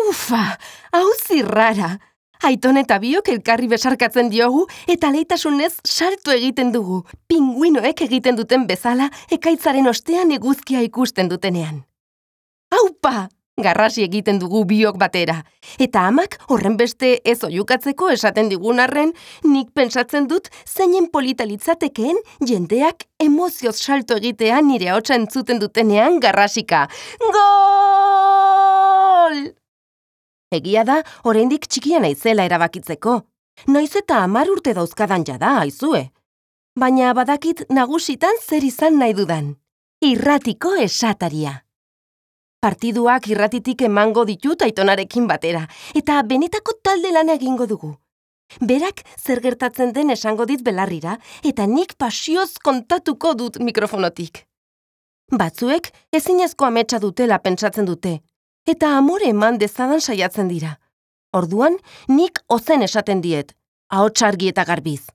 Ufa, hau zirrara. Aiton eta biok elkarri besarkatzen diogu eta leitasunez salto egiten dugu. Pinguinoek egiten duten bezala ekaitzaren ostean eguzkia ikusten dutenean. Aupa! Garrasi egiten dugu biok batera. Eta amak horrenbeste ez oihukatzeko esaten digun arren, nik pentsatzen dut zeinen polita litzatekeen jendeak emozioz salto egitea nire ahotsa entzuten dutenean garrasika. Gol! Egia da, oraindik txikia naizela erabakitzeko. Noiz eta 10 urte dauzkadan jada, aizue. Baina badakit nagusitan zer izan nahi dudan. Irratiko esataria. Partiduak irratitik emango ditut Aitonarekin batera, eta benetako talde lana egingo dugu. Berak zer gertatzen den esango dit belarrira, eta nik pasioz kontatuko dut mikrofonotik. Batzuek ezinezko ametsa dutela pentsatzen dute, eta amore eman dezadan saiatzen dira. Orduan, nik ozen esaten diet, ahots argi eta garbiz.